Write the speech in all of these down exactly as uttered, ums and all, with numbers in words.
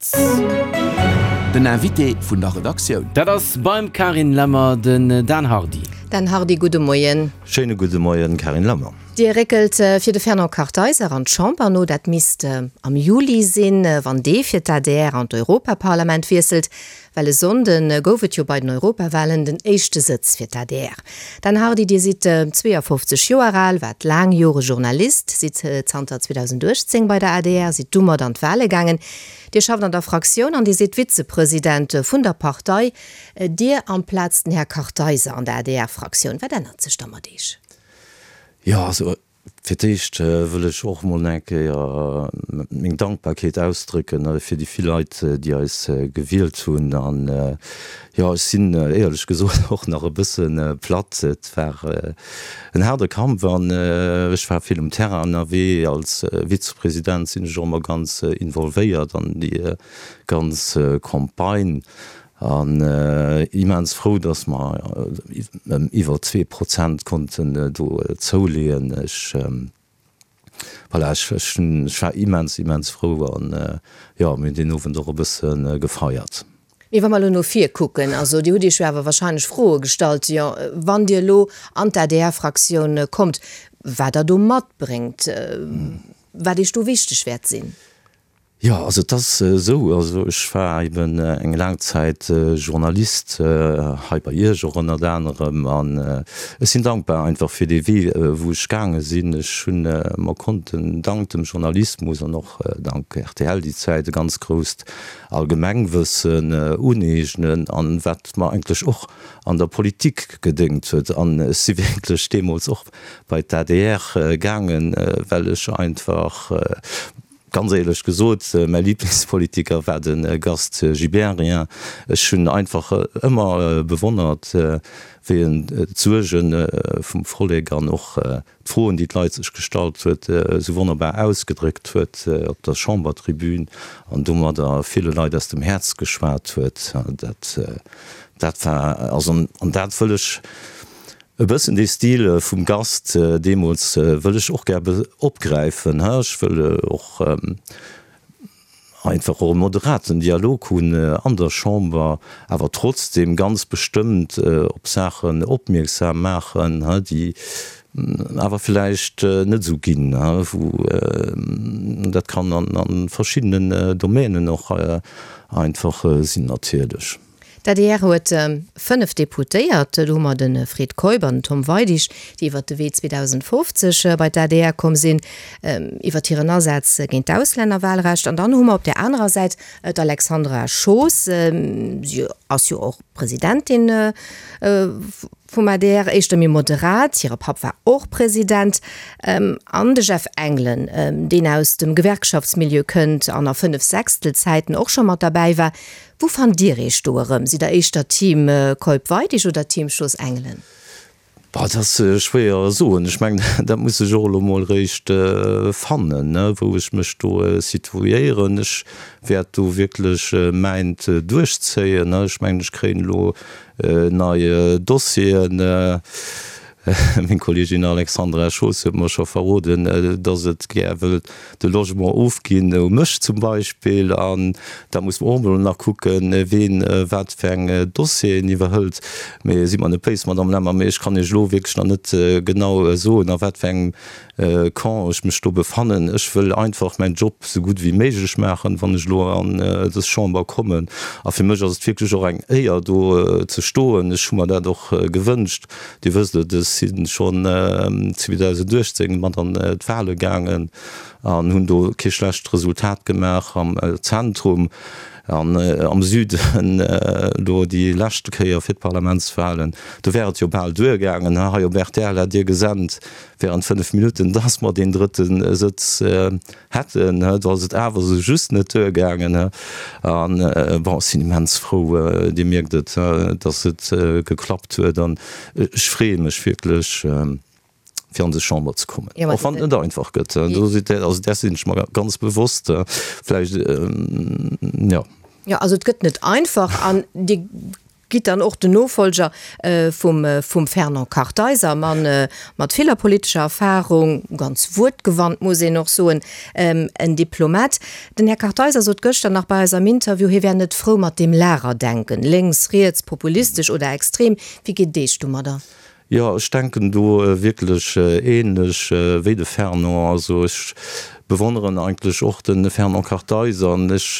Den Invité vun der Redaktioun. Dat ass beim Carine Lemmer den Dan Hardy. Dan Hardy, gudde Moien. Schéine gudde Moien, Carine Lemmer. Dir réckelt fir de Fernand Kartheiser an d'Chamber no. Dat misst am Juli sinn, wann dee fir d'ADR an d'Europaparlament wiesselt. Well e Sonnde gouf et jo bei den Europawalen den éischte Sëtz fir d'ADR. Dan Hardy, Dir sidd zweeafofzeg Joer al, waart laang Jore Journalist, sidd zanter zweedausenduechtzéng bei der adr, sidd domat an d'Wale gaangen. Dir schafft an der Fraktioun an Dir sidd Vizepresident vun der Partei. Dir amplaz den Här Kartheiser an der A D R-Fraktioun. Wat ännert sech da mat Iech? Jo, also fir d'éischt wëll ech och emol eng Kéier meng Dankbarkeet ausdrécken fir déi vill Leit, déi eis gewielt hunn. An jo, ech sinn éierlech gesot och nach e bësse platt. Et war en haarde Kampf an ech war vill um Terrain ënnerwee. Als Vizepresident sinn ech och ëmmer ganz involvéiert an déi ganz Campagne. An immens frou, dass mer ëm iwwer zwee Prozent konnten do zouleeën. Ech, voilà, ech, ech hunn, ech war immens, immens frou an, jo, mir hunn deen Owend och e bësse gefeiert. Mee wa mer elo no vir kucken, also Dir hutt Iech jo awer wahrscheinlech Froe gestallt, jo, wann Dir elo an d'A D R-Fraktioun kommt, wat Der do matbréngt, wat Iech do wichteg wäert sinn? Jo, also et ass esou, also ech war eben eng laang Zäit Journalist, hei bei Iech och ënnert anerem, an ech sinn dankbar einfach fir dee Wee, wou ech gaange sinn. Ech hunn mer konnten dank dem Journalismus an och dank R T L déi Zäit e ganz grousst Allgemengwëssen uneegnen, an wat mer eigentlech och an der Politik gedéngt huet. An ech si wierklech deemools och bei d'A D R gaangen, well ech einfach, ganz éierlech gesot, mäi Liblingspolitiker war de Gast Gibéryen. Ech hunn einfach ëmmer bewonnert, wéi en d'Suerge vum Vollek an och d'Froen, déi d'Leit sech gestallt huet, esou wonnerbar ausgedréckt huet op der Chambertribün an domadder ville Leit aus dem Häerz geschwat huet. Dat, dat war, also, an dat wëll ech e bëssen, dee Stil vum Gast deemools wëll ech och gär opgräifen. Ech wëll och einfach och e moderaten Dialog hunn an der Chamber, awer trotzdem ganz bestëmmt op Saachen opmierksam maachen, déi awer villäicht net esou ginn, wou dat kann an verschiddenen Domänen och einfach sinn natierlech. D'A D R huet fënnef Deputéiert. Do hu mer de Fred Keup an den Tom Weidig, déi iwwert de Wee zweedausendfofzeg bei d'A D R komm sinn, iwwert hiren Asaz géint d'Auslännerwahlrecht. An dann hu mer op där anerer Säit d'Alexandra Schoos. Si ass jo och Presidentin vum A D R, éischter méi moderat. Hire Papp war och President. An de Jeff Engelen, deen aus dem Gewerkschaftsmilieu kënnt an a Fënnef-Sechstel-Zäiten och scho mat derbäi war. Wou fannt Dir Iech do erëm? Sidd Der éischter Team Keup-Weidig oder Team Schoos-Engelen? Boah, dat ass schwéier ze soen. Ech mengen, dat muss ech och elo mol eréischt fannen, wou ech mech do situéieren. Ech wäert do wierklech mäint duerchzéien. Ech mengen, ech kréien elo nei Dossieren. Meng Kolleegin Alexandra Schoos huet mer scho verroden, dass et gär wëllt de Logement ofginn u mech zum Beispill. An da muss mer och emol nach kucken, ween wat fir eng Dossieren iwwerhëlt. Mee sidd mer net béis, Madamm Lemmer, mee ech kann Iech elo wierklech nach net genau soen, a wat fir engem Camp ech mech do befannen. Ech wëll einfach mäin Job esou gutt wéi méiglech maachen, wann ech elo an dës Chamber kommen. A fir mech ass et wierklech och eng Éier, do ze stoen. Ech hu mer dat och gewënscht. Dir wësst et, ech si schonn zweedausenduechtzéng mat an d'Wale gaangen an hunn do kee schlecht Resultat gemaach am Zentrum an am Süden elo déi leschte Kéier fir d'Parlamentswalen. Do wär et jo bal duergaangen. Hei op R T L hat Dir gesent während fënnef Minutten, dass mer deen drëtte Sëtz hätten. Do ass et awer esou just net duergaangen. An bon, ech sinn immens frou, Dir mierkt et, dass et geklappt huet an ech freeë mech wierklech, fir an des Chamber ze kommen, och wann et net einfach gëtt. Do sidd Der, also där sinn ech mer ganz bewosst. Vläicht, jo. Jo, also et gëtt net einfach an Dir gitt dann och den Nofollger vum vum Fernand Kartheiser, e Mann mat viller politescher Erfahrung, ganz wuertgewandt muss een och soen, en Diplomat. Den Här Kartheiser sot gëschter nach bei eis am Interview, hie wär net frou mat deem Lagerdenken, lénks, riets, populistesch oder extrem. Wéi geet et Iech domadder? Jo, ech denken do wierklech ähnlech wéi de Fernand. Also ech bewonneren eigentlech och de Fernand Kartheiser an ech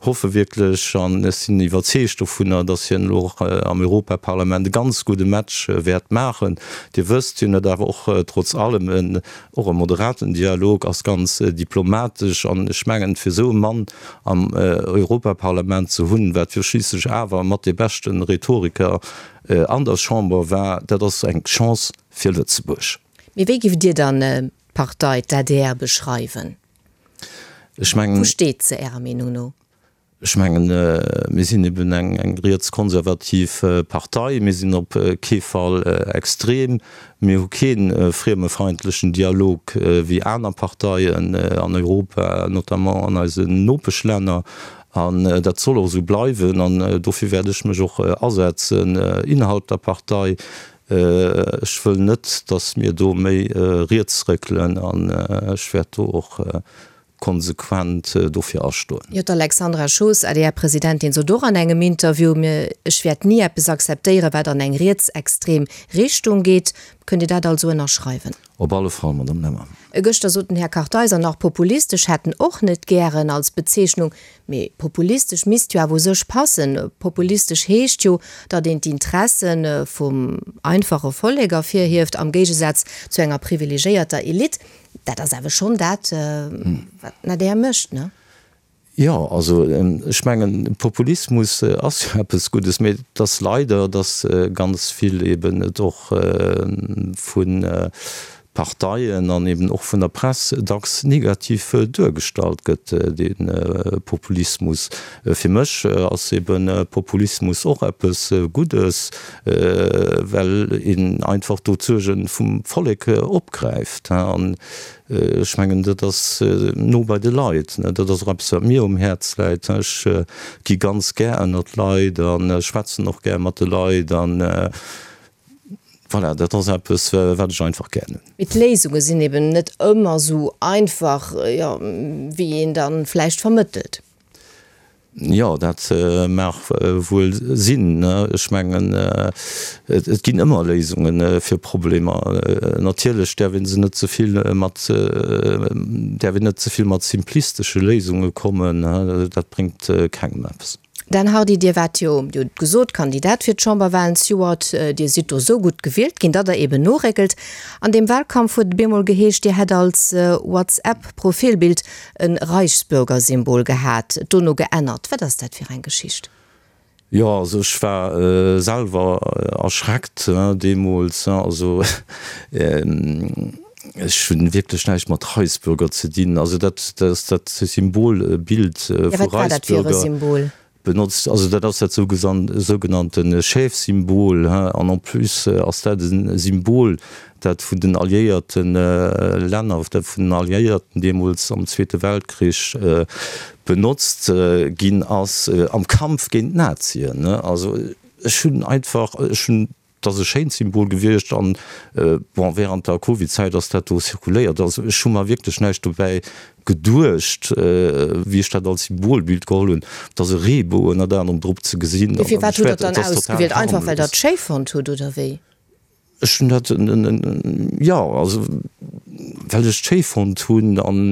hoffe wierklech an ech sinn iwwerzeegt dovunner, datt hien elo och am Europaparlament e ganz gudde Match wäert maachen. Dir wësst, hien huet awer och trotz allem en och e moderaten Dialog, ass ganz diplomatesch an ech mengen, fir esou e Mann am Europaparlament ze hunn, wat jo schliisslech awer mat dee beschte Rhetoriker an der Chamber war, dat ass eng Chance fir Lëtzebuerg. Mee wéi giff Dir dann d'Partei, d'ADR, beschreiwen? Ech mengen. Wou steet se Ärer Meenung no? Ech mengen, mir sinn eben eng rietskonservativ Partei. Mir sinn op kee Fall extrem. Mir hu kee friemefeindlechen Dialog wéi aner Parteien an Europa, notamment an eisen Nopeschlänner. An dat soll och esou bleiwen an dofir wäert ech mech och asetzen innerhalb der Partei. Ech wëll net, datt mir do méi riets réckelen an ech wäert do och konsequent dofir astoen. Jo, d'Alexandra Schoos, ADR-Presidentin, sot och an engem Interview, Ech wäert ni eppes akzeptéieren, wat an eng rietsextrem Richtung geet. Kënnt Dir dat also ënnerschreiwen? Op alle Fall, Madame Lemmer. Gëschter sot den Här Kartheiser nach, populistesch hätt en och net gären als Bezeechnung. Mee populistesch misst jo awer u sech passen. Populistesch heescht jo, datt een d'Interesse vum einfache Vollek ervirhieft, am Géigesaz zu enger privilegéierter Elite. Dat ass awer schonn dat, wat den adr mécht, ne? Jo, also ech mengen, Populismus ass jo eppes Guddes, mee et ass leider, datt ganz vill eben et och vu Parteien an eben och vun der Press dacks negativ duergestallt gëtt, dee Populismus. Fir mech ass eben Populismus och eppes Guddes, well een einfach do d'Suerge vum Vollek opgräift. An ech mengen, dat ass no bei de Leit. Dat ass och eppes, wat mir um Häerz läit. Ech gi ganz gär ënner d'Leit a schwätzen och gär mat de Leit. An voilà, dat ass eppes, wat ech einfach gär hunn. Mee d'Léisunge sinn eben net ëmmer esou einfach, jo, wéi een da vläicht vermëttelt. Jo, dat mag wuel sinn. Ech mengen, et ginn ëmmer Léisunge fir Problemer. Natierlech däerf ee se net ze vill mat, däerf een net ze vill mat simplistesche Léisunge kommen. Dat bréngt kengem eppes. Dan Hardy, Dir waart jo, Dir hutt et gesot, Kandidat fir d'Chamberwahlen zejoert. Dir sidd do sou gutt gewielt ginn, datt Der eben noréckelt. An deem Wahlkampf huet et bemol geheescht, Dir hätt als WhatsApp-Profilbild e Reichsbürger-Symbol gehat, et dono geännert. Wat ass dat fir eng Geschicht? Jo, also ech war selwer erschreckt deemools. Also ech hunn wierklech näischt mat Reichsbürger ze dinn. Also dat ass dat Symbolbild vu Wat war dat fir e Reichsbürger. Symbol? Benotzt, also dat ass dat sougenannte Schäfsymbol, an en plus ass dat e Symbol, dat vun den alliéierte Länner, dat vun den Alliéierten deemools am Zweete Weltkrich benotzt ginn ass am Kampf géint d'Nazien. Also ech hunn einfach, ech hunn Et ass e schéint Symbol gewiescht an, bon, während der Covid-Zäit ass dat do zirkuléiert. Also ech hu mer wierklech näischt dobäi geduecht, wéi ech dat als Symbolbild geholl hunn. Et ass e Reebou ënnert anerem drop ze gesinn. Mee firwat hutt Der et dann ausgewielt? Einfach well Der et schéi fonnt hutt, oder wéi? Ech hunn dat, jo, also well ech et schéi fonnt hunn. An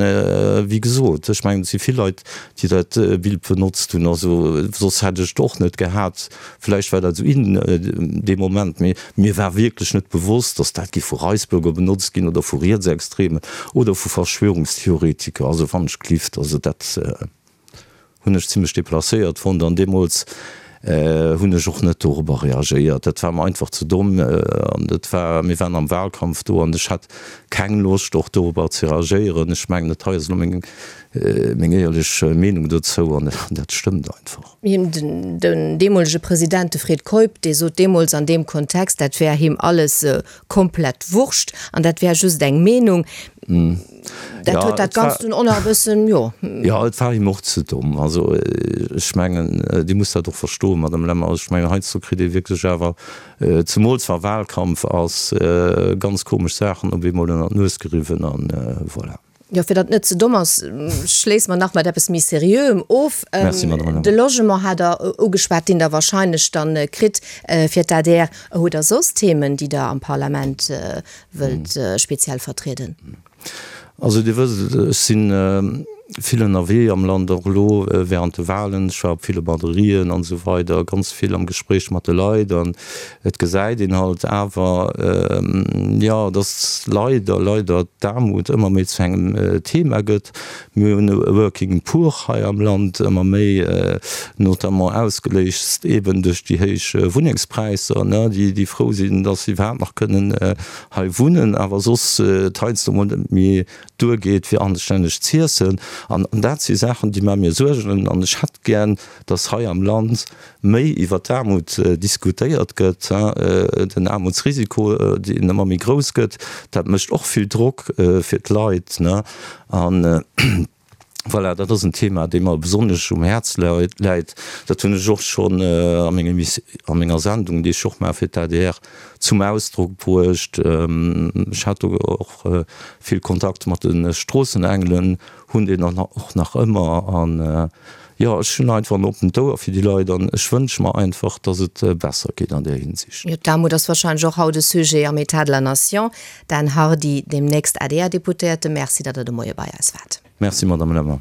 wéi gesot, ech mengen, et si vill Leit, déi dat Bild benotzt hunn. Also soss hätt ech et och net gehat. Vläicht war dat esou in dee Moment, mee mir war wierklech net bewosst, datt dat géif vu Reisbürger benotzt ginn oder vu Rietsextremen oder vu Verschwörungstheoretiker. Also wann ech gelift, also dat. Hunn ech zimlech deplacéiert fonnt an deemools hunn ech och net dorobber reagéiert. Dat war mer einfach ze domm an et war, mir waren am Wahlkampf do an ech hat keng Loscht och dorobber ze reagéieren. Ech mengen, dat hei ass elo meng meng éierlech Meenung dozou an dat stëmmt einfach. Him, den deemolege President, de Fred Keup, dee sot deemools an deem Kontext, dat wär him alles komplett Wurscht an dat wär just eng Meenung. Dat huet dat Ganzt dunn och nach e bëssen, jo. Jo, et war him och ze domm. Also ech mengen, Dir musst dat och verstoen, Madame Lemmer, ech mengen, heiansdo kritt ee wierklech awer, zemools wa Wahlkampf ass, ganz komesch Saachen op eemol ënner d'Nues geriwwen an voilà. Jo, fir datt et net ze domm ass, schléisse mer nach mat eppes méi Seriöem of. Merci, Madame Lemmer. De Logement hat Der ugeschwat, deen Der wahrscheinlech dann kritt fir d'ADR. Hutt Der soss Themen, déi Der am Parlament wëllt speziell vertrieden? Also Dir wësst, ech si vill ënnerwee am Land, och elo während de Wahlen. Ech war op ville Batterien an esou weider, ganz vill am Gespréich mat de Leit. An et gesäit een halt awer, jo, dass leider, leider d'Aarmut ëmmer méi zu engem Thema gëtt. Mir hunn e Working Poor hei am Land ëmmer méi, notamment ausgeléist eeben duerch déi héich Wunnengspräisser, déi frou sinn, dass se iwwerhaapt nach kënnen hei wunnen, awer soss et heiansdo mol net méi duergeet, fir anstänneg z'iessen. An dat si Saachen, déi maache mir Suergen. An ech hätt gär, dass hei am Land méi iwwer d'Aarmut diskutéiert gëtt, den Aarmutsrisiko, deen ëmmer méi grouss gëtt, dat mécht och vill Drock fir d'Leit. An voilà, dat ass en Thema, dee mer besonnesch um Häerz läit. Dat hunn ech och schonn a menger Sendung, déi ech och maache fir d'ADR, zum Ausdrock bruecht. Ech hat do och vill Kontakt mat de Stroossenengelen, hunn deen och nach ëmmer. An jo, ech hunn einfach en oppent Ouer fir déi Leit an ech wënsche mer einfach, datt et besser geet an där Hinsicht. Jo, d'Aarmut ass wahrscheinlech och haut e Sujet am État de la Nation. Dan Hardy, deemnächst ADR-Deputéierte, Merci, datt Der de Moie bei eis waart. Merci, Madame Lemmer.